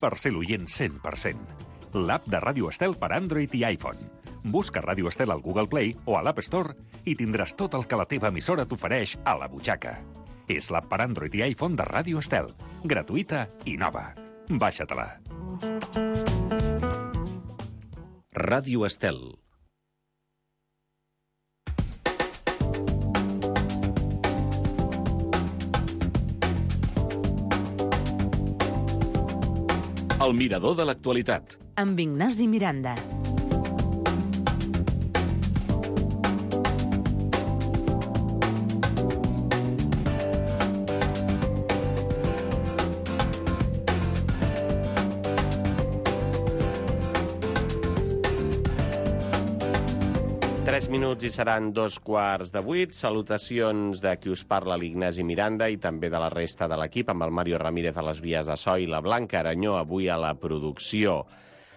per ser l'oient 100%. L'app de Ràdio Estel per Android i iPhone. Busca Ràdio Estel al Google Play o a l'App Store i tindràs tot el que la teva emissora t'ofereix a la butxaca. És l'app per Android i iPhone de Ràdio Estel. Gratuïta i nova. Baixa-te-la. Ràdio Estel. El mirador de l'actualitat. Amb Ignasi Miranda. Minuts i seran 7:15. Salutacions de qui us parla, l'Ignasi Miranda, i també de la resta de l'equip, amb el Mario Ramírez a les vies de so i la Blanca Aranyó avui a la producció.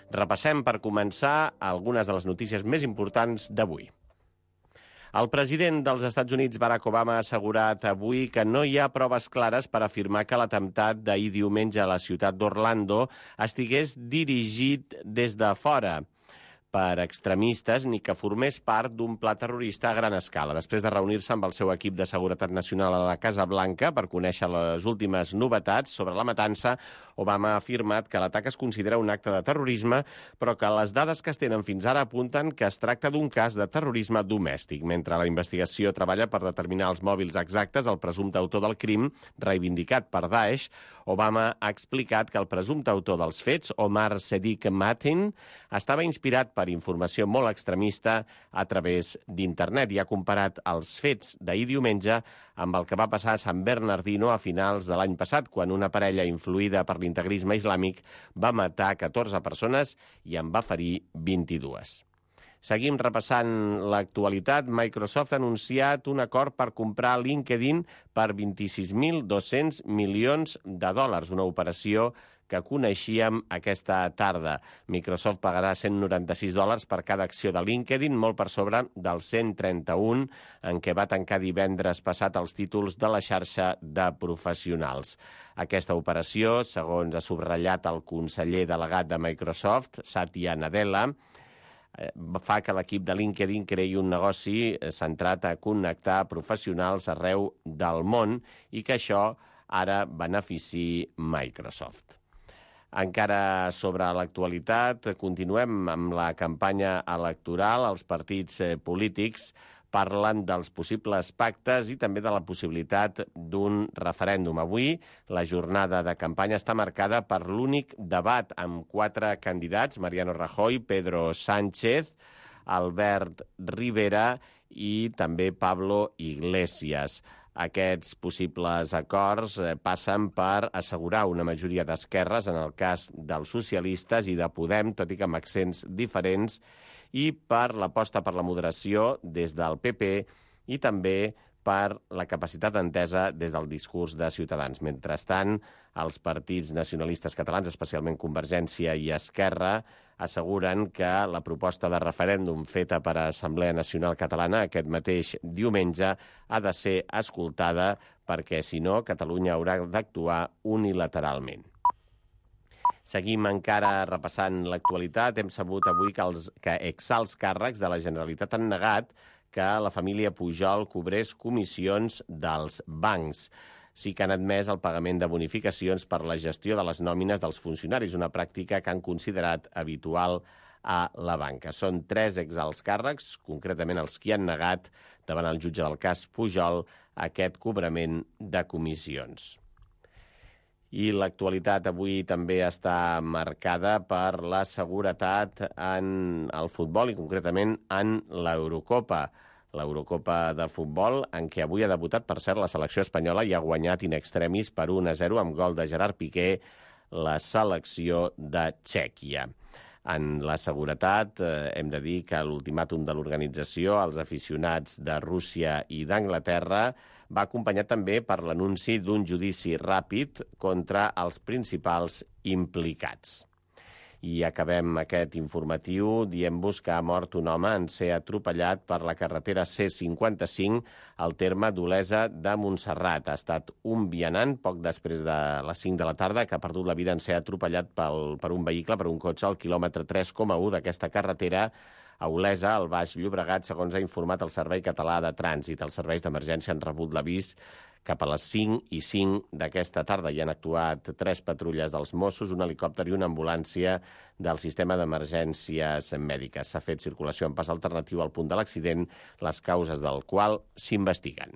Repassem per començar algunes de les notícies més importants d'avui. El president dels Estats Units, Barack Obama, ha assegurat avui que no hi ha proves clares per afirmar que l'atemptat d'ahir diumenge a la ciutat d'Orlando estigués dirigit des de fora per extremistes ni que formés part d'un pla terrorista a gran escala. Després de reunir-se amb el seu equip de seguretat nacional a la Casa Blanca per conèixer les últimes novetats sobre la matança, Obama ha afirmat que l'atac es considera un acte de terrorisme, però que les dades que es tenen fins ara apunten que es tracta d'un cas de terrorisme domèstic. Mentre la investigació treballa per determinar els mòbils exactes, el presumpte autor del crim, reivindicat per Daesh, Obama ha explicat que el presumpte autor dels fets, Omar Sadiq Mateen, estava inspirat per informació molt extremista a través d'internet i ha comparat els fets d'ahir diumenge amb el que va passar a San Bernardino a finals de l'any passat, quan una parella influïda per l'integrisme islàmic va matar 14 persones i en va ferir 22. Seguim repassant l'actualitat. Microsoft ha anunciat un acord per comprar LinkedIn per 26.200 milions de dòlars, una operació que coneixíem aquesta tarda. Microsoft pagarà $196 per cada acció de LinkedIn, molt per sobre dels 131 en què va tancar divendres passat els títols de la xarxa de professionals. Aquesta operació, segons ha subratllat el conseller delegat de Microsoft, Satya Nadella, fa que l'equip de LinkedIn creï un negoci centrat a connectar professionals arreu del món i que això ara benefici Microsoft. Encara sobre l'actualitat, continuem amb la campanya electoral. Els partits polítics parlen dels possibles pactes i també de la possibilitat d'un referèndum. Avui la jornada de campanya està marcada per l'únic debat amb 4 candidats, Mariano Rajoy, Pedro Sánchez, Albert Rivera i també Pablo Iglesias. Aquests possibles acords passen per assegurar una majoria d'esquerres, en el cas dels socialistes i de Podem, tot i que amb accents diferents, i per l'aposta per la moderació des del PP i també per la capacitat d'entesa des del discurs de Ciutadans. Mentrestant, els partits nacionalistes catalans, especialment Convergència i Esquerra, asseguren que la proposta de referèndum feta per Assemblea Nacional Catalana aquest mateix diumenge ha de ser escoltada perquè, si no, Catalunya haurà d'actuar unilateralment. Seguim encara repassant l'actualitat. Hem sabut avui que exalts càrrecs de la Generalitat han negat que la família Pujol cobrés comissions dels bancs. Sí que han admès el pagament de bonificacions per la gestió de les nòmines dels funcionaris, una pràctica que han considerat habitual a la banca. Són 3 exalts càrrecs, concretament els que han negat davant el jutge del cas Pujol aquest cobrament de comissions. I l'actualitat avui també està marcada per la seguretat en el futbol i concretament en l'Eurocopa. L'Eurocopa de futbol, en què avui ha debutat, per cert, la selecció espanyola i ha guanyat in extremis per 1-0 amb gol de Gerard Piqué la selecció de Txèquia. En la seguretat, hem de dir que l'ultimàtum de l'organització als aficionats de Rússia i d'Anglaterra va acompanyat també per l'anunci d'un judici ràpid contra els principals implicats. I acabem aquest informatiu dient-vos que ha mort un home en ser atropellat per la carretera C55 al terme d'Olesa de Montserrat. Ha estat un vianant, poc després de les 5 de la tarda, que ha perdut la vida en ser atropellat per un vehicle, per un cotxe, al quilòmetre 3,1 d'aquesta carretera a Olesa, al Baix Llobregat, segons ha informat el Servei Català de Trànsit. Els serveis d'emergència han rebut l'avís cap a les 5:05 d'aquesta tarda. Hi han actuat 3 patrulles dels Mossos, un helicòpter i una ambulància del sistema d'emergències mèdiques. S'ha fet circulació en pas alternatiu al punt de l'accident, les causes del qual s'investiguen.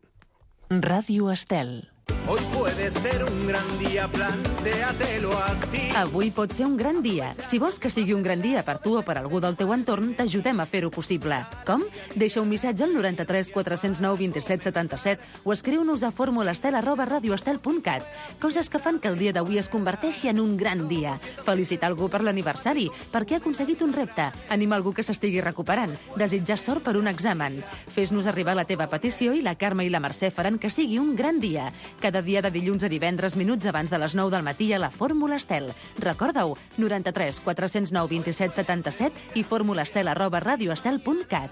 Ràdio Estel. Hoy puede ser un gran día, plantéatelo así. Avui pot ser un gran dia. Si vols que sigui un gran dia per tu o per algú del teu entorn, t'ajudem a fer-ho possible. Com? Deixa un missatge al 93 409 27 77 o escriu-nos a formulastel@radioestel.cat. Coses que fan que el dia d'avui es converteixi en un gran dia. Felicitar algú per l'aniversari, perquè ha aconseguit un repte, animar algú que s'estigui recuperant, desitjar sort per un examen. Fes-nos arribar la teva petició i la Carme i la Mercè faran que sigui un gran dia. Cada dia de dilluns a divendres, minuts abans de les 9 del matí a la Fórmula Estel. Recorda-ho, 93 409 27 77 i formulastel@radioestel.cat.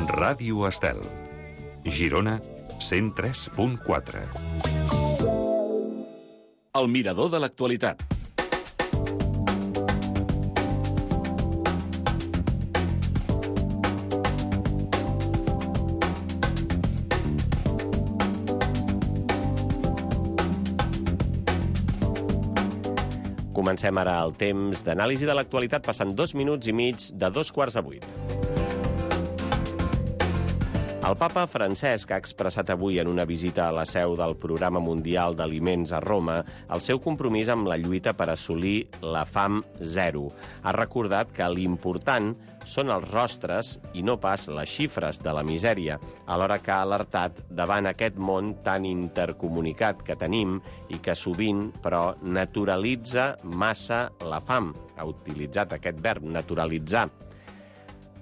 Ràdio Estel. Girona, 103.4. El mirador de l'actualitat. Comencem ara el temps d'anàlisi de l'actualitat, passant 2 minuts i mig de 7:15. El papa Francesc ha expressat avui en una visita a la seu del Programa Mundial d'Aliments a Roma el seu compromís amb la lluita per assolir la fam zero. Ha recordat que l'important són els rostres i no pas les xifres de la misèria, alhora que ha alertat davant aquest món tan intercomunicat que tenim i que sovint, però, naturalitza massa la fam. Ha utilitzat aquest verb, naturalitzar,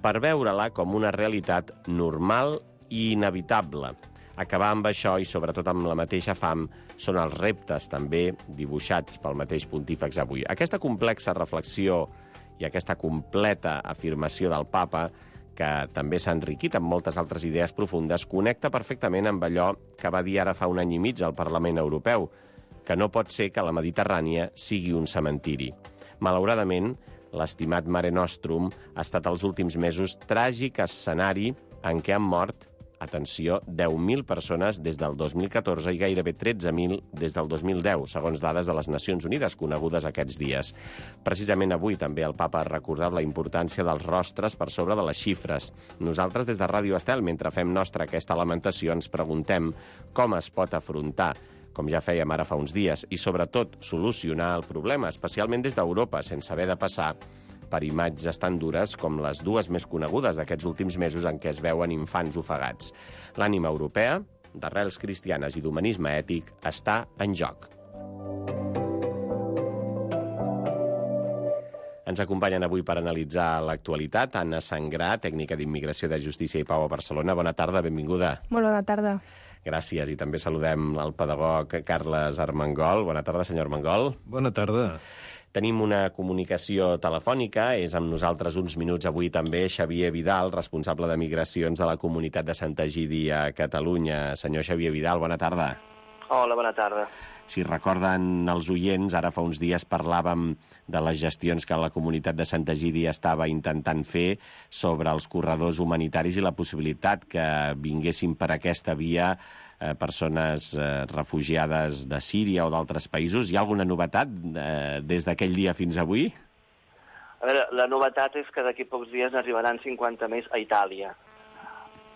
per veure-la com una realitat normal i inevitable. Acabar amb això i sobretot amb la mateixa fam són els reptes també dibuixats pel mateix pontífex avui. Aquesta complexa reflexió i aquesta completa afirmació del papa, que també s'ha enriquit amb moltes altres idees profundes, connecta perfectament amb allò que va dir ara fa un any i mig al Parlament Europeu, que no pot ser que la Mediterrània sigui un cementiri. Malauradament, l'estimat Mare Nostrum ha estat els últims mesos tràgic escenari en què han mort, atenció, 10.000 persones des del 2014 i gairebé 13.000 des del 2010, segons dades de les Nacions Unides conegudes aquests dies. Precisament avui també el papa ha recordat la importància dels rostres per sobre de les xifres. Nosaltres des de Ràdio Estel, mentre fem nostra aquesta lamentació, ens preguntem com es pot afrontar, com ja fèiem ara fa uns dies, i sobretot solucionar el problema, especialment des d'Europa, sense haver de passar per imatges tan dures com les 2 més conegudes d'aquests últims mesos en què es veuen infants ofegats. L'ànima europea, d'arrels cristianes i d'humanisme ètic, està en joc. Ens acompanyen avui per analitzar l'actualitat Anna Sangrà, tècnica d'Immigració de Justícia i Pau a Barcelona. Bona tarda, benvinguda. Molt bona tarda. Gràcies, i també saludem el pedagog Carles Armengol. Bona tarda, senyor Armengol. Bona tarda. Tenim una comunicació telefònica, és amb nosaltres uns minuts avui també Xavier Vidal, responsable de migracions de la comunitat de Sant Egidi a Catalunya. Senyor Xavier Vidal, bona tarda. Hola, bona tarda. Si recorden els oients, ara fa uns dies parlàvem de les gestions que la comunitat de Sant Egidi estava intentant fer sobre els corredors humanitaris i la possibilitat que vinguessin per aquesta via persones refugiades de Síria o d'altres països. Hi ha alguna novetat des d'aquell dia fins avui? A veure, la novetat és que d'aquí pocs dies n'arribaran 50 més a Itàlia.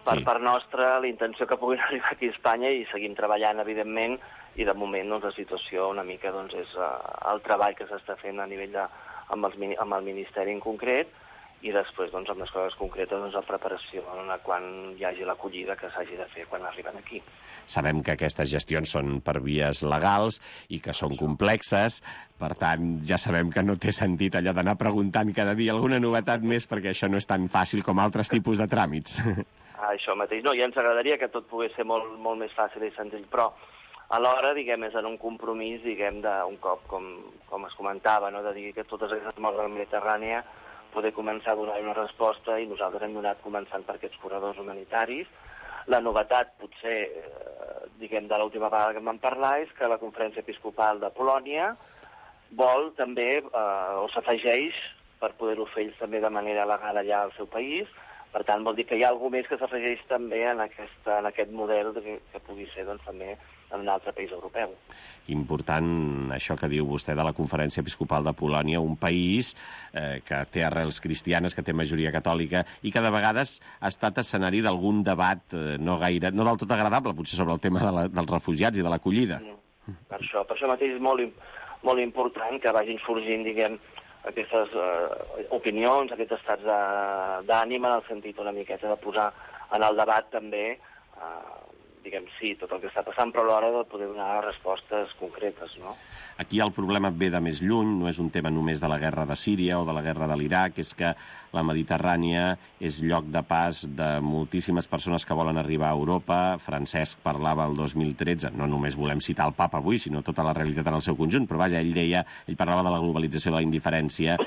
Per part nostra, la intenció que puguin arribar aquí a Espanya, i seguim treballant, evidentment, i de moment doncs, la situació una mica doncs, és el treball que s'està fent a nivell amb el Ministeri en concret, i després doncs, amb les coses concretes doncs, la preparació quan hi hagi l'acollida que s'hagi de fer quan arriben aquí. Sabem que aquestes gestions són per vies legals i que són complexes, per tant ja sabem que no té sentit allò d'anar preguntant cada dia alguna novetat més, perquè això no és tan fàcil com altres tipus de tràmits. Això mateix. No, i ens agradaria que tot pogués ser molt, molt més fàcil i senzill, però alhora, diguem, és en un compromís, diguem, d'un cop, com es comentava, no? De dir que totes aquestes morts de la Mediterrània poder començar a donar una resposta, i nosaltres hem donat començant per aquests corredors humanitaris. La novetat, potser, diguem, de l'última vegada que em van parlar, és que la Conferència Episcopal de Polònia vol també, o s'afegeix, per poder-ho fer ells també de manera legal allà al seu país. Per tant, vol dir que hi ha alguna més que s'afegeix també en aquest model que pugui ser, doncs, també en un altre país europeu. Important això que diu vostè de la Conferència Episcopal de Polònia, un país que té arrels cristianes, que té majoria catòlica i que de vegades ha estat escenari d'algun debat no del tot agradable, potser sobre el tema dels refugiats i de l'acollida. Per això mateix és molt important que vagin sorgint, diguem, aquestes opinions, aquests estats d'ànima, en el sentit una miqueta de posar en el debat també, diguem, sí, tot el que està passant, però a l'hora de poder donar respostes concretes, no? Aquí el problema ve de més lluny, no és un tema només de la guerra de Síria o de la guerra de l'Iraq, és que la Mediterrània és lloc de pas de moltíssimes persones que volen arribar a Europa. Francesc parlava el 2013, no només volem citar el papa avui, sinó tota la realitat en el seu conjunt, però vaja, ell parlava de la globalització de la indiferència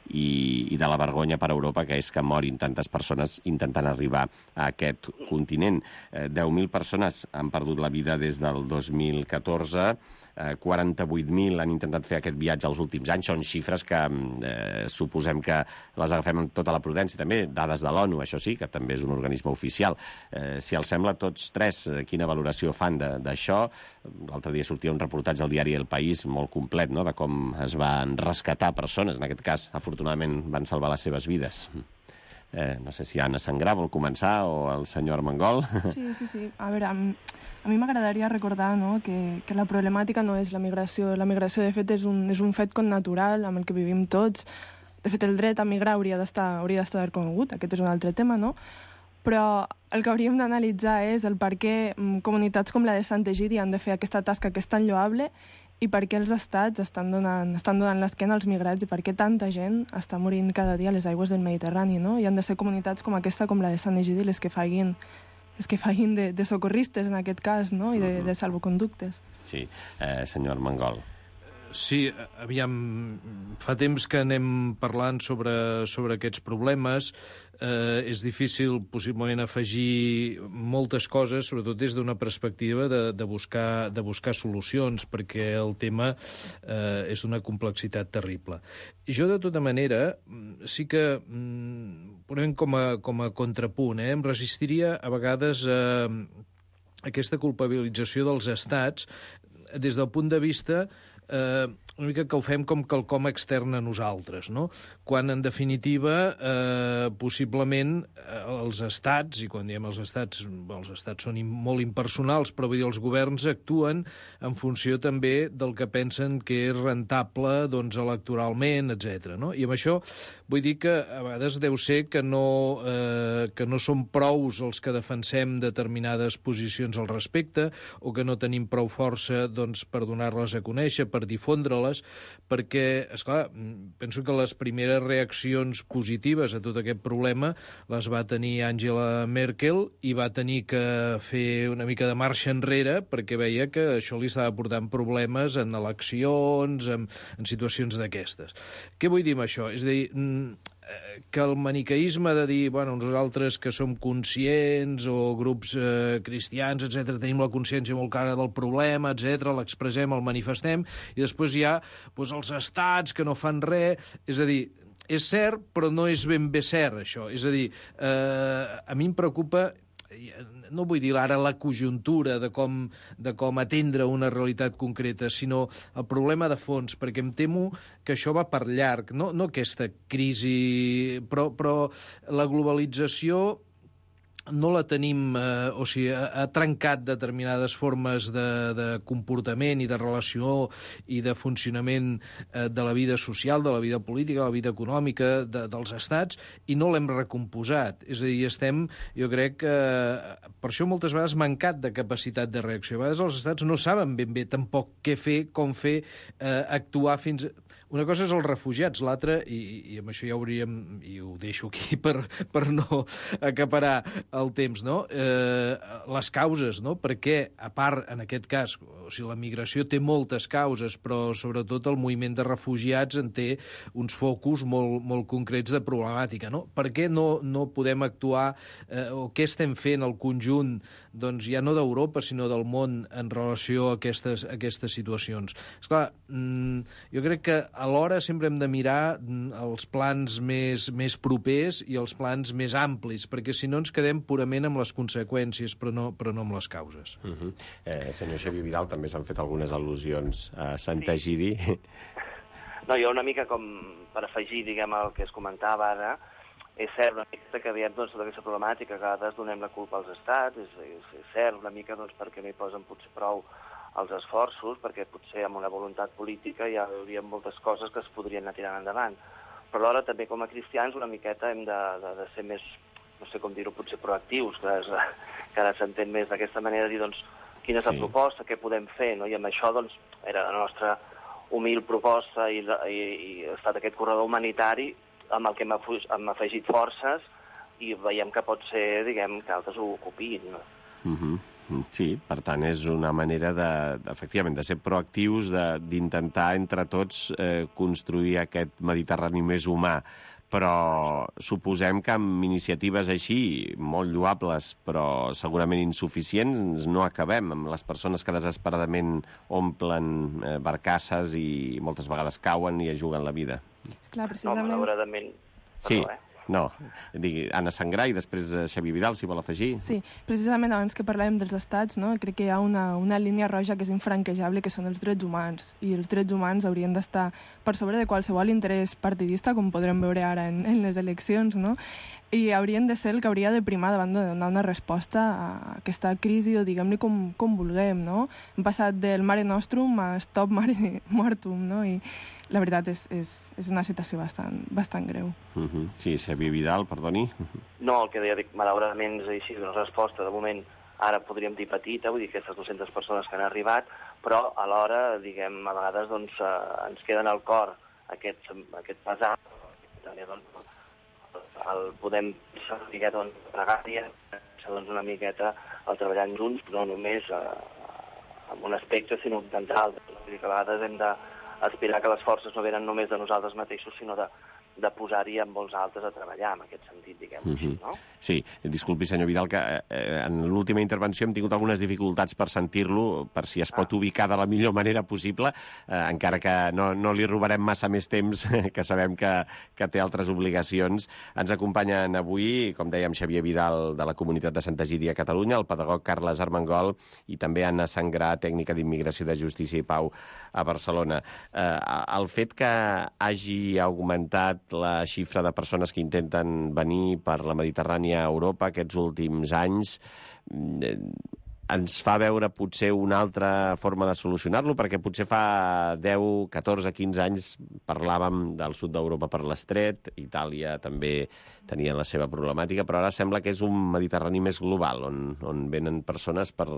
i de la vergonya per a Europa, que és que morin tantes persones intentant arribar a aquest continent. 10.000 persones han perdut la vida des del 2014, 48.000 han intentat fer aquest viatge els últims anys. Són xifres que suposem que les agafem amb tota la prudència. També dades de l'ONU, això sí, que també és un organisme oficial. Si els sembla, tots tres, quina valoració fan d'això? L'altre dia sortia un reportatge al diari El País molt complet, no?, de com es van rescatar persones. En aquest cas, afortunadament, van salvar les seves vides. No sé si Anna Sangrà vol començar o el senyor Armengol. Sí. A veure, a mi m'agradaria recordar, no, que la problemàtica no és la migració. La migració, de fet, és un fet connatural amb el que vivim tots. De fet, el dret a migrar hauria d'estar reconegut. Aquest és un altre tema, no? Però el que hauríem d'analitzar és el per què comunitats com la de Sant Egidi han de fer aquesta tasca que és tan lloable i per què els estats estan donant l'esquena als migrats i per què tanta gent està morint cada dia a les aigües del Mediterrani, no? I han de ser comunitats com aquesta, com la de Sant Egidi, les que facin de socorristes, en aquest cas, no? I de salvoconductes. Sí, senyor Armengol. Sí, aviam, fa temps que anem parlant sobre aquests problemes. És difícil, possiblement, afegir moltes coses, sobretot des d'una perspectiva de buscar solucions, perquè el tema és d'una complexitat terrible. I jo, de tota manera, sí que, posem com a contrapunt, em resistiria a vegades a aquesta culpabilització dels estats des del punt de vista una mica que ho fem com quelcom extern a nosaltres, no? Quan, en definitiva, possiblement els estats, i quan diem els estats són molt impersonals, però vull dir, els governs actuen en funció també del que pensen que és rentable, doncs, electoralment, etc. No? I amb això vull dir que a vegades deu ser que no som prous els que defensem determinades posicions al respecte, o que no tenim prou força, doncs, per donar-les a conèixer, per difondre-les, perquè, esclar, penso que les primeres reaccions positives a tot aquest problema les va tenir Angela Merkel i va tenir que fer una mica de marxa enrere perquè veia que això li estava portant problemes en eleccions, en situacions d'aquestes. Què vull dir amb això? És a dir, que el maniqueisme de dir, bueno, nosaltres que som conscients o grups cristians, etc., tenim la consciència molt clara del problema, etc., l'expressem, el manifestem, i després hi ha els estats que no fan res. És a dir, és cert, però no és ben bé cert, això. És a dir, a mi em preocupa, no vull dir ara la conjuntura de com atendre una realitat concreta, sinó el problema de fons, perquè em temo que això va per llarg, no aquesta crisi, però la globalització no la tenim, o sigui, ha trencat determinades formes de comportament i de relació i de funcionament de la vida social, de la vida política, de la vida econòmica dels estats, i no l'hem recomposat. És a dir, jo crec que per això moltes vegades mancat de capacitat de reacció. A vegades els estats no saben ben bé tampoc què fer, com fer, actuar fins... Una cosa és els refugiats, l'altra, i amb això ja hauríem, i ho deixo aquí per no acaparar el temps, no? Les causes, no? Perquè, a part, en aquest cas, o sigui, la migració té moltes causes, però sobretot el moviment de refugiats en té uns focus molt concrets de problemàtica, no? Per què no podem actuar, o què estem fent al conjunt, doncs ja no d'Europa, sinó del món en relació a aquestes situacions? Esclar, jo crec que alhora sempre hem de mirar els plans més propers i els plans més amplis, perquè si no ens quedem purament amb les conseqüències, però no amb les causes. Senyor Xavier Vidal, també s'han fet algunes al·lusions a Sant Egidi. No, jo una mica com per afegir, diguem, el que es comentava ara, és cert una mica que veiem tota aquesta problemàtica, que a vegades donem la culpa als estats, és cert una mica perquè no hi posen potser prou els esforços, perquè potser amb una voluntat política hi hauria moltes coses que es podrien anar tirant endavant. Però alhora també com a cristians una miqueta hem de ser més, no sé com dir-ho, potser proactius, que ara s'entén més d'aquesta manera, de dir, doncs, quina és la proposta, què podem fer, no? I amb això, doncs, era la nostra humil proposta i ha estat aquest corredor humanitari amb el que hem afegit forces i veiem que pot ser, diguem, que altres ho ocupin, no? Sí, per tant, és una manera efectivament, de ser proactius, d'intentar entre tots construir aquest Mediterrani més humà. Però suposem que amb iniciatives així, molt lloables, però segurament insuficients, no acabem amb les persones que desesperadament omplen barcasses i moltes vegades cauen i es juguen la vida. Clar, precisament... No, malauradament... Sí. No, Anna Sangrà i després Xavier Vidal, si vol afegir. Sí, precisament abans que parlàvem dels estats, no? Crec que hi ha una línia roja que és infranquejable, que són els drets humans, i els drets humans haurien d'estar per sobre de qualsevol interès partidista, com podrem veure ara en les eleccions, no? I haurien de ser el que hauria de primar davant de donar una resposta a aquesta crisi, o diguem-li com vulguem, no? Hem passat del Mare Nostrum a Stop Mare Mortum, no? I la veritat és una situació bastant greu. Sí, Xavier Vidal, perdoni. No, el que deia, malauradament és així, una resposta, de moment, ara podríem dir petita, vull dir, aquestes 200 persones que han arribat, però alhora, diguem, a vegades doncs, ens queden al cor aquest pesar, també, doncs, el podem saber, doncs, pregària, doncs, una miqueta el treballant junts, no només en un aspecte, sinó en d'altres. Vull dir que a vegades hem d'aspirar que les forces no venen només de nosaltres mateixos, sinó de posar-hi amb molts altres a treballar, en aquest sentit, diguem-ho així, no? Sí, disculpi, senyor Vidal, que en l'última intervenció hem tingut algunes dificultats per sentir-lo, per si es pot ubicar de la millor manera possible, encara que no li robarem massa més temps, que sabem que té altres obligacions. Ens acompanyen avui, com dèiem, Xavier Vidal, de la Comunitat de Sant Egidi a Catalunya, el pedagog Carles Armengol i també Anna Sangrà, tècnica d'Immigració, de Justícia i Pau a Barcelona. El fet que hagi augmentat la xifra de persones que intenten venir per la Mediterrània a Europa aquests últims anys ens fa veure potser una altra forma de solucionar-lo, perquè potser fa 10, 14, 15 anys parlàvem del sud d'Europa per l'estret, Itàlia també tenia la seva problemàtica, però ara sembla que és un Mediterrani més global, on venen persones per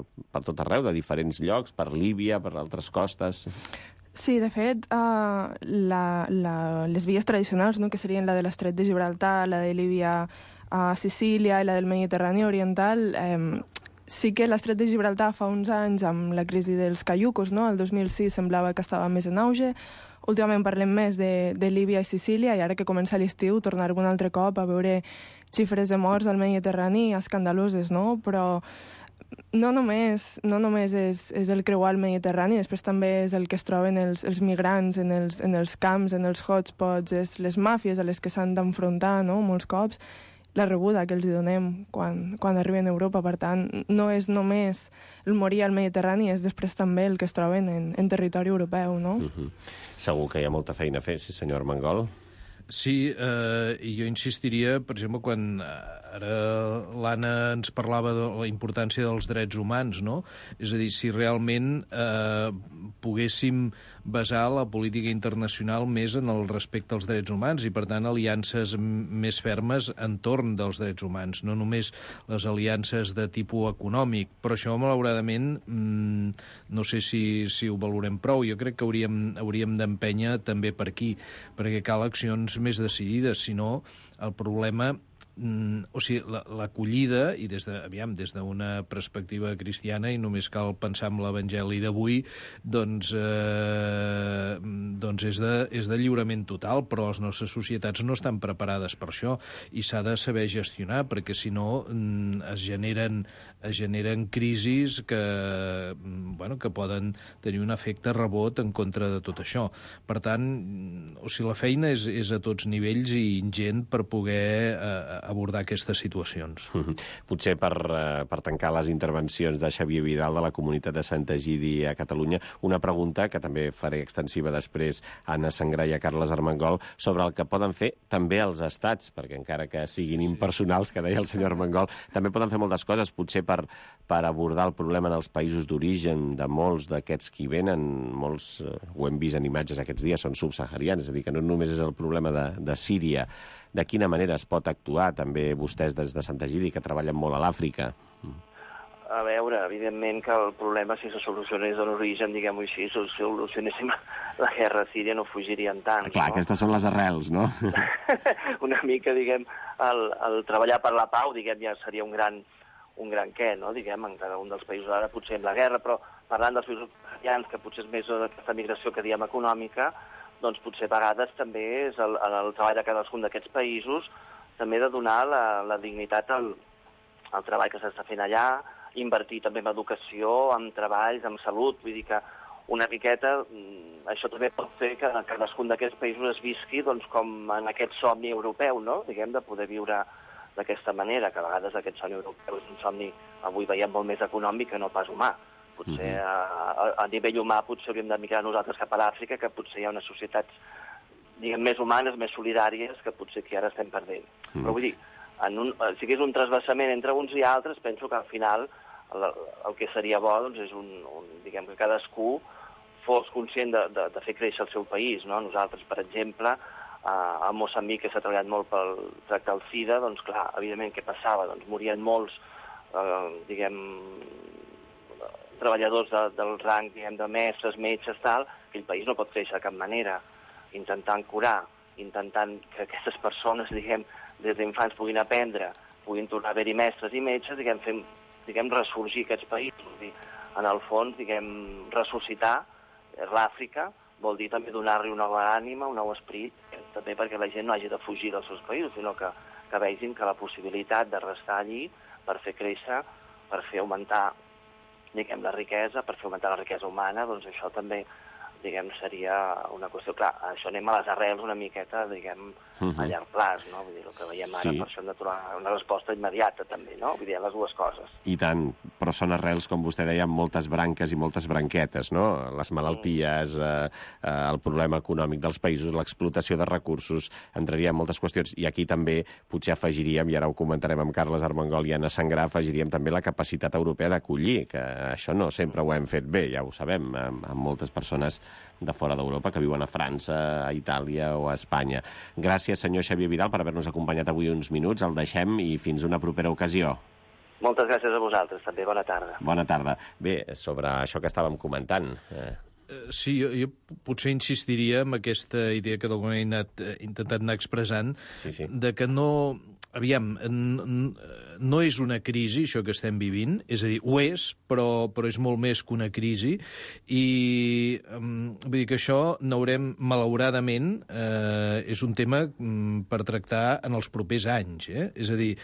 tot arreu, de diferents llocs, per Líbia, per altres costes. Sí, de fet, les vies tradicionals, no, que serien la de l'estret de Gibraltar, la de Líbia a Sicília i la del Mediterrani oriental, sí que l'estret de Gibraltar fa uns anys, amb la crisi dels caiucos, no? El 2006 semblava que estava més en auge. Últimament parlem més de Líbia i Sicília, i ara que comença l'estiu tornarem un altre cop a veure xifres de morts al Mediterrani escandaloses, no? Però no només és el creuar el Mediterrani, després també és el que es troben els migrants en els camps, en els hotspots, és les màfies a les que s'han d'enfrontar, no? Molts cops, la rebuda que els donem quan arriben a Europa. Per tant, no és només el morir al Mediterrani, és després també el que es troben en territori europeu, no? Segur que hi ha molta feina a fer, sí, senyor Armengol. Sí, i jo insistiria, per exemple, quan ara l'Anna ens parlava de la importància dels drets humans, no? És a dir, si realment poguéssim basar la política internacional més en el respecte als drets humans i, per tant, aliances més fermes entorn dels drets humans, no només les aliances de tipus econòmic. Però això, malauradament, no sé si ho valorem prou. Jo crec que hauríem d'empènyer també per aquí, perquè cal accions més decidides, si no el problema o sigui, l'acollida, i des d'una perspectiva cristiana, i només cal pensar en l'Evangeli d'avui, doncs és de lliurament total, però les nostres societats no estan preparades per això, i s'ha de saber gestionar, perquè si no es generen crisis que poden tenir un efecte rebot en contra de tot això. Per tant, o sigui, la feina és a tots nivells i ingent per poder abordar aquestes situacions. Potser per tancar les intervencions de Xavier Vidal de la comunitat de Sant Egidi a Catalunya, una pregunta que també faré extensiva després a Anna Sangrà i a Carles Armengol sobre el que poden fer també els estats, perquè encara que siguin impersonals, que deia el senyor Armengol, també poden fer moltes coses, potser per abordar el problema en els països d'origen de molts d'aquests qui venen, molts, ho hem vist en imatges aquests dies, són subsaharians, és a dir, que no només és el problema de Síria. De quina manera es pot actuar, també vostès des de Sant Egidi, que treballen molt a l'Àfrica? A veure, evidentment que el problema, si se solucionés en origen, diguem-ho així, si solucionéssim la guerra a Síria, no fugirien tant. Clar, no? Aquestes són les arrels, no? Una mica, diguem, el treballar per la pau, diguem, ja seria un gran què, no? Diguem, en cada un dels països ara potser amb la guerra, però parlant dels països cristians, que potser és més d'aquesta migració que diem econòmica, doncs potser a vegades també és el treball de cadascun d'aquests països també de donar la dignitat al treball que s'està fent allà, invertir també en educació, en treballs, en salut, vull dir que una miqueta això també pot fer que cadascun d'aquests països es visqui doncs, com en aquest somni europeu, no? Diguem, de poder viure d'aquesta manera, que a vegades aquest somni europeu és un somni, avui veiem, molt més econòmic que no pas humà. Potser a nivell humà potser hauríem de migrar nosaltres cap a l'Àfrica, que potser hi ha unes societats, diguem, més humanes, més solidàries, que potser aquí ara estem perdent. Però vull dir, si és un trasbassament entre uns i altres, penso que al final el que seria bo doncs, és diguem, que cadascú fos conscient de fer créixer el seu país, no? Nosaltres, per exemple, a Moçambic, que s'ha treballat molt pel tractar el SIDA, doncs clar, evidentment, què passava? Doncs morien molts, diguem, treballadors del rang, diguem, de mestres, metges, tal, que el país no pot créixer de cap manera, intentant curar, intentant que aquestes persones, diguem, des d'infants puguin aprendre, puguin tornar a haver-hi mestres i metges, diguem, ressorgir aquests països. En el fons, diguem, ressuscitar l'Àfrica vol dir també donar-li una nova ànima, un nou esperit, també perquè la gent no hagi de fugir dels seus països, sinó que vegin que la possibilitat de restar allí per fer créixer, per fer augmentar, diguem, la riquesa, per fer augmentar la riquesa humana, doncs això també, diguem, seria una qüestió. Clar, això anem a les arrels una miqueta, diguem, a llarg plaç, no? Vull dir, el que veiem ara, per això hem de trobar una resposta immediata, també, no? Vull dir, les dues coses. I tant, però són arrels, com vostè deia, amb moltes branques i moltes branquetes, no? Les malalties, el problema econòmic dels països, l'explotació de recursos, entraria en moltes qüestions. I aquí també potser afegiríem, i ara ho comentarem amb Carles Armengol i Anna Sangrà, afegiríem també la capacitat europea d'acollir, que això no sempre ho hem fet bé, ja ho sabem, amb moltes persones de fora d'Europa que viuen a França, a Itàlia o a Espanya. Gràcies, senyor Xavier Vidal, per haver-nos acompanyat avui uns minuts. El deixem i fins una propera ocasió. Moltes gràcies a vosaltres, també. Bona tarda. Bona tarda. Bé, sobre això que estàvem comentant... Sí, jo potser insistiria en aquesta idea que d'alguna manera he intentat anar expressant, de que no... Aviam, no és una crisi, això que estem vivint, és a dir, ho és, però és molt més que una crisi, i vull dir que això n'haurem, malauradament, és un tema per tractar en els propers anys, és a dir,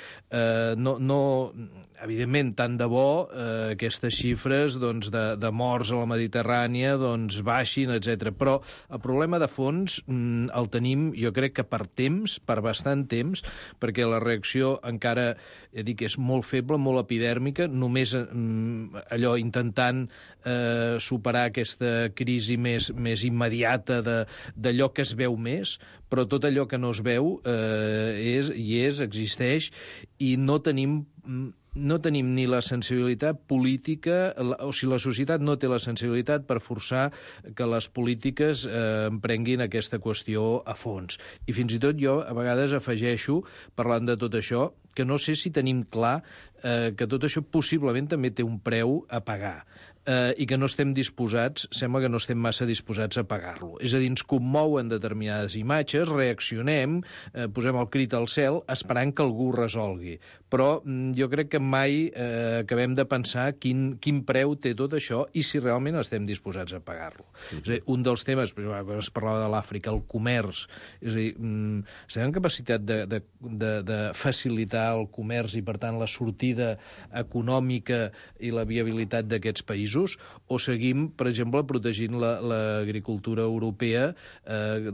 evidentment, tant de bo aquestes xifres doncs, de morts a la Mediterrània doncs, baixin, etc. Però el problema de fons el tenim, jo crec que per temps, per bastant temps, perquè la reacció encara, dic, és molt feble, molt epidèrmica, només allò intentant superar aquesta crisi més immediata d'allò que es veu més, però tot allò que no es veu existeix, i no tenim ni la sensibilitat política, o sigui, la societat no té la sensibilitat per forçar que les polítiques emprenguin aquesta qüestió a fons. I fins i tot jo a vegades afegeixo, parlant de tot això, que no sé si tenim clar que tot això possiblement també té un preu a pagar. i que no estem disposats, sembla que no estem massa disposats a pagar-lo. És a dir, ens commouen determinades imatges, reaccionem, posem el crit al cel, esperant que algú resolgui. Però jo crec que mai acabem de pensar quin preu té tot això i si realment estem disposats a pagar-lo. És a dir, un dels temes, es parlava de l'Àfrica, el comerç, és a dir, estem en capacitat de facilitar el comerç i, per tant, la sortida econòmica i la viabilitat d'aquests països, o seguim, per exemple, protegint l'agricultura europea,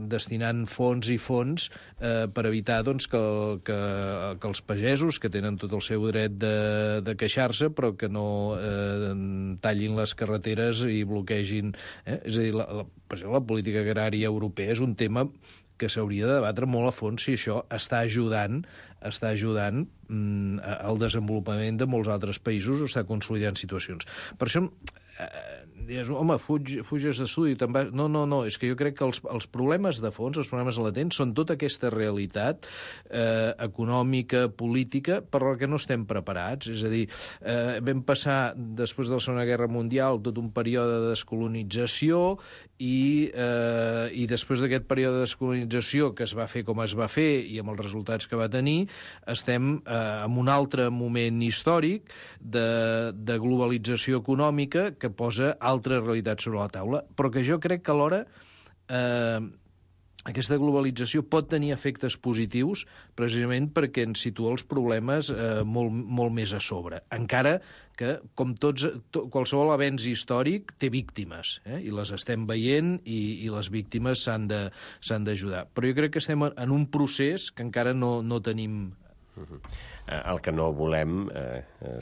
destinant fons i fons per evitar doncs, que els pagesos, que tenen tot el seu dret de queixar-se, però que no tallin les carreteres i bloquegin. És a dir, per exemple, la política agrària europea és un tema que s'hauria de debatre molt a fons si això està ajudant al desenvolupament de molts altres països o està consolidant situacions. Per això, dius, home, fuges d'estudi. No, és que jo crec que els problemes de fons, els problemes latents, són tota aquesta realitat econòmica, política, per la que no estem preparats. És a dir, vam passar, després de la Segona Guerra Mundial, tot un període de descolonització i després d'aquest període de descolonització que es va fer com es va fer i amb els resultats que va tenir, estem en un altre moment històric de globalització econòmica que posa altres realitats sobre la taula, però que jo crec que alhora aquesta globalització pot tenir efectes positius precisament perquè ens situa els problemes molt més a sobre. Encara que, com qualsevol avenç històric, té víctimes, i les estem veient i les víctimes s'han d'ajudar. Però jo crec que estem en un procés que encara no tenim. El que no volem,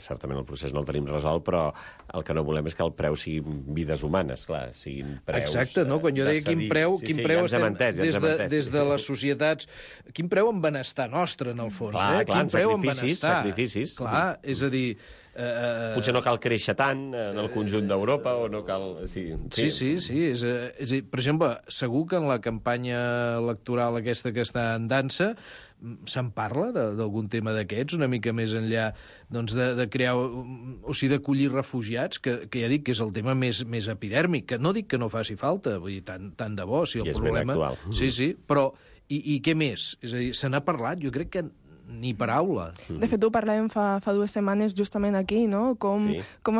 certament el procés no el tenim resolt, però el que no volem és que el preu siguin vides humanes, clar, siguin preus... Exacte, no? Quan jo deia quin preu estem des de les societats... Quin preu en benestar nostre, en el fons. Clar, quin preu en benestar. Sacrificis. Clar, és a dir... Potser no cal créixer tant en el conjunt d'Europa o no cal... Sí. És a dir, per exemple, segur que en la campanya electoral aquesta que està en dansa se'n parla d'algun tema d'aquests, una mica més enllà doncs, de crear, o sigui, d'acollir refugiats, que ja dic que és el tema més epidèrmic, que no dic que no faci falta, vull dir, tant de bo, si el problema... I és ben actual. Sí, però i què més? És a dir, se n'ha parlat, jo crec que ni paraula. De fet, ho parlàvem fa 2 setmanes justament aquí, no? Com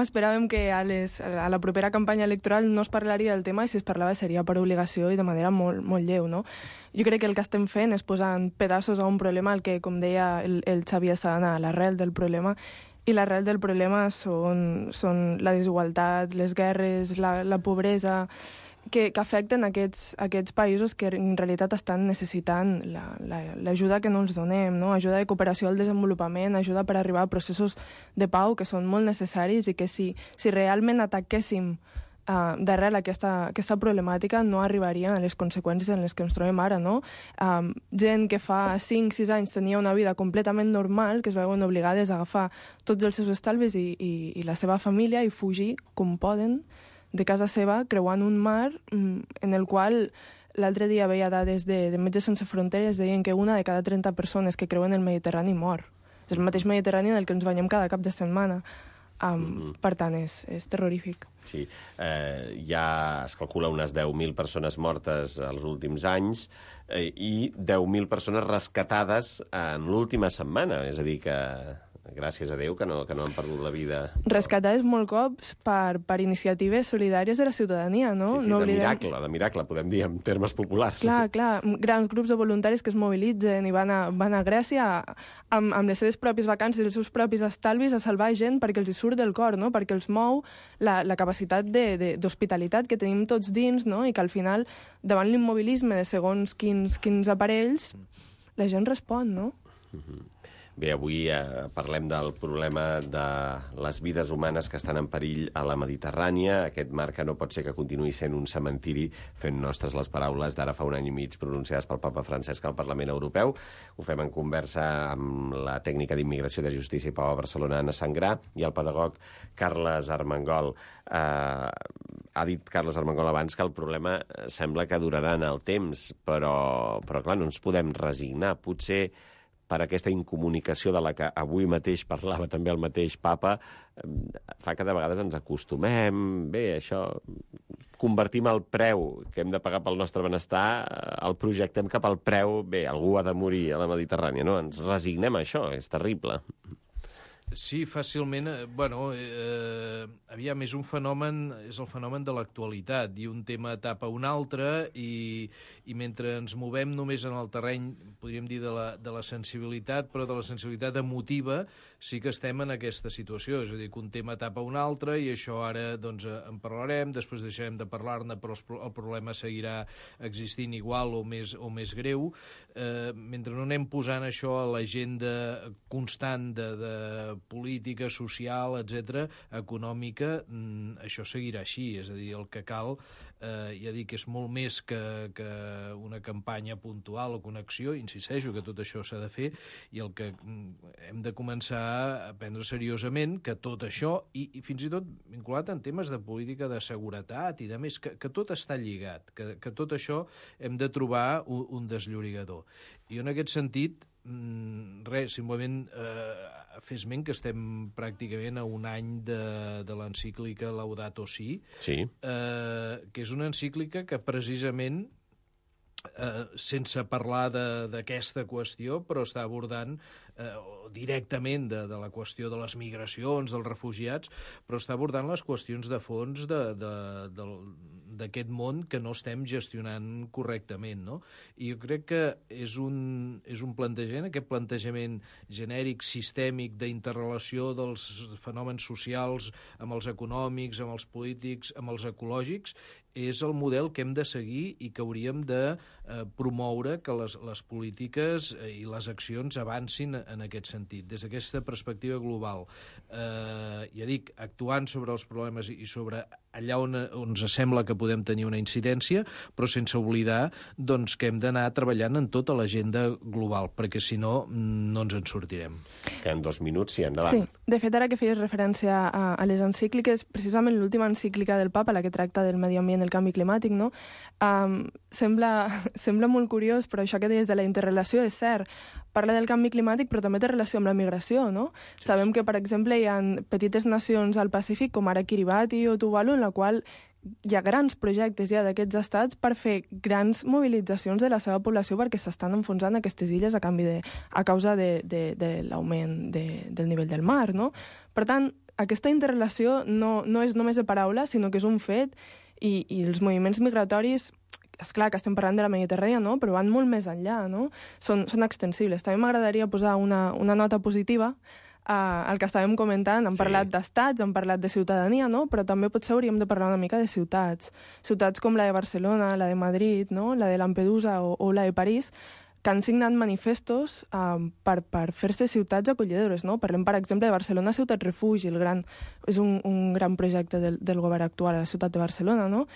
esperàvem que a la propera campanya electoral no es parlaria del tema i si es parlava seria per obligació i de manera molt, molt lleu, no? Jo crec que el que estem fent és posant pedaços a un problema al que, com deia el Xavier Sana, a l'arrel del problema, i l'arrel del problema són la desigualtat, les guerres, la pobresa, que afecten aquests països que en realitat estan necessitant l'ajuda que no els donem, no? Ajuda de cooperació al desenvolupament, ajuda per arribar a processos de pau que són molt necessaris i que si realment ataquéssim d'arrel aquesta problemàtica no arribarien a les conseqüències en les que ens trobem ara, no? Gent que fa 5-6 anys tenia una vida completament normal, que es veuen obligades a agafar tots els seus estalvis i la seva família i fugir com poden de casa seva, creuant un mar en el qual l'altre dia veia dades de Metges Sense Fronteres, deien que 1 de cada 30 persones que creuen el Mediterrani mor. És el mateix Mediterrani del que ens banyem cada cap de setmana. Per tant, és terrorífic. Sí, ja es calcula unes 10.000 persones mortes els últims anys i 10.000 persones rescatades en l'última setmana, és a dir que... Gràcies a Déu que no han perdut la vida. Rescatades molt cops per iniciatives solidàries de la ciutadania, no? Sí, de miracle, podem dir, en termes populars. Clar, grans grups de voluntaris que es mobilitzen i van a Grècia amb les seves pròpies vacances i els seus propis estalvis a salvar gent perquè els hi surt del cor, no? Perquè els mou la capacitat d'hospitalitat que tenim tots dins, no? I que al final, davant l'immobilisme de segons quins aparells, la gent respon, no? Bé, avui parlem del problema de les vides humanes que estan en perill a la Mediterrània, aquest mar que no pot ser que continuï sent un cementiri, fent nostres les paraules d'ara fa 1 any i mig pronunciades pel papa Francesc al Parlament Europeu. Ho fem en conversa amb la tècnica d'Immigració de Justícia i Pau a Barcelona, Anna Sangrà, i el pedagog Carles Armengol. Ha dit Carles Armengol abans que el problema sembla que durarà en el temps, però clar, no ens podem resignar. Potser per aquesta incomunicació de la que avui mateix parlava també el mateix papa, fa que de vegades ens acostumem, bé, això, convertim el preu que hem de pagar pel nostre benestar, el projectem cap al preu, bé, algú ha de morir a la Mediterrània, no? Ens resignem a això, és terrible. Sí, fàcilment. Aviam, és el fenomen de l'actualitat, i un tema tapa un altre, i mentre ens movem només en el terreny, podríem dir, de la sensibilitat, però de la sensibilitat emotiva, sí que estem en aquesta situació. És a dir, que un tema tapa un altre, i això ara doncs, en parlarem, després deixarem de parlar-ne, però el problema seguirà existint igual o més greu. Mentre no anem posant això a l'agenda constant de política, social, etc., econòmica, això seguirà així. És a dir, el que cal, ja dic, és molt més que una campanya puntual o connexió, insisteixo que tot això s'ha de fer, i el que hem de començar a prendre seriosament que tot això, i fins i tot vinculat en temes de política de seguretat i de més, que tot està lligat, que tot això hem de trobar un desllorigador. I en aquest sentit, simplement fer esment que estem pràcticament a un any de l'encíclica Laudato Si, que és una encíclica que precisament, sense parlar d'aquesta qüestió, però està abordant directament de la qüestió de les migracions, dels refugiats, però està abordant les qüestions de fons d'aquest món que no estem gestionant correctament, no? I jo crec que és un plantejament, aquest plantejament genèric, sistèmic, d'interrelació dels fenòmens socials amb els econòmics, amb els polítics, amb els ecològics, és el model que hem de seguir i que hauríem de promoure que les polítiques i les accions avancin en aquest sentit, des d'aquesta perspectiva global. Ja dic, actuant sobre els problemes i sobre allà on ens sembla que podem tenir una incidència, però sense oblidar doncs, que hem d'anar treballant en tota l'agenda global, perquè si no, no ens en sortirem. Queden 2 minuts, sí, endavant. Sí, de fet, ara que feies referència a les encícliques, precisament l'última encíclica del Papa, la que tracta del medi ambient i el canvi climàtic, no? Sembla molt curiós, però això que deies de la interrelació és cert. Parla del canvi climàtic, però també té relació amb la migració, no? Sí. Sabem que, per exemple, hi ha petites nacions al Pacífic, com ara Kiribati o Tuvalu, en la qual hi ha grans projectes ja d'aquests estats per fer grans mobilitzacions de la seva població perquè s'estan enfonsant aquestes illes a causa de l'augment del nivell del mar, no? Per tant, aquesta interrelació no és només de paraula, sinó que és un fet, i els moviments migratoris, és clar que estem parlant de la Mediterrània, no? Però van molt més enllà, no? Són extensibles. També m'agradaria posar una nota positiva el que estàvem comentant. Hem parlat d'estats, hem parlat de ciutadania, no? Però també potser hauríem de parlar una mica de ciutats. Ciutats com la de Barcelona, la de Madrid, no? La de Lampedusa o la de París, que han signat manifestos per fer-se ciutats acollidores, no? Parlem, per exemple, de Barcelona Ciutat Refugi, és un gran projecte del govern actual a la ciutat de Barcelona, no?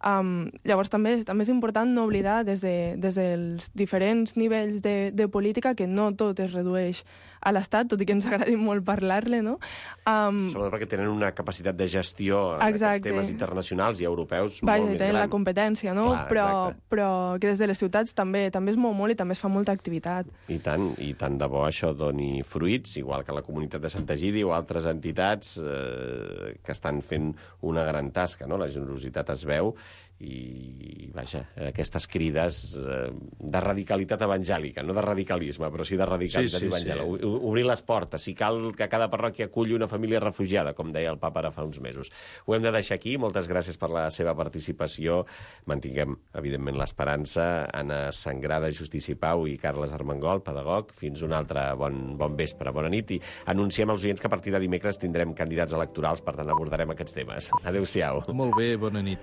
Llavors també és important no oblidar des dels diferents nivells de política que no tot es redueix a l'Estat, tot i que ens agradi molt parlar-ne, no? Sobretot perquè tenen una capacitat de gestió en aquests temes internacionals i europeus molt més gran. Tenen la competència, no? Però que des de les ciutats també es mou molt i també es fa molta activitat. I tant de bo això doni fruits, igual que la comunitat de Sant Egidi o altres entitats que estan fent una gran tasca, no? La generositat es veu i, vaja, aquestes crides de radicalitat evangèlica, no de radicalisme, però sí de radicalitat evangèlica. Obrir les portes, si cal que cada parròquia aculli una família refugiada, com deia el papa ara fa uns mesos. Ho hem de deixar aquí. Moltes gràcies per la seva participació. Mantinguem, evidentment, l'esperança. Anna Sangrada, Justici Pau i Carles Armengol, pedagog. Fins un altre bon vespre, bona nit. I anunciem als oients que a partir de dimecres tindrem candidats electorals, per tant abordarem aquests temes. Adéu-siau. Molt bé, bona nit.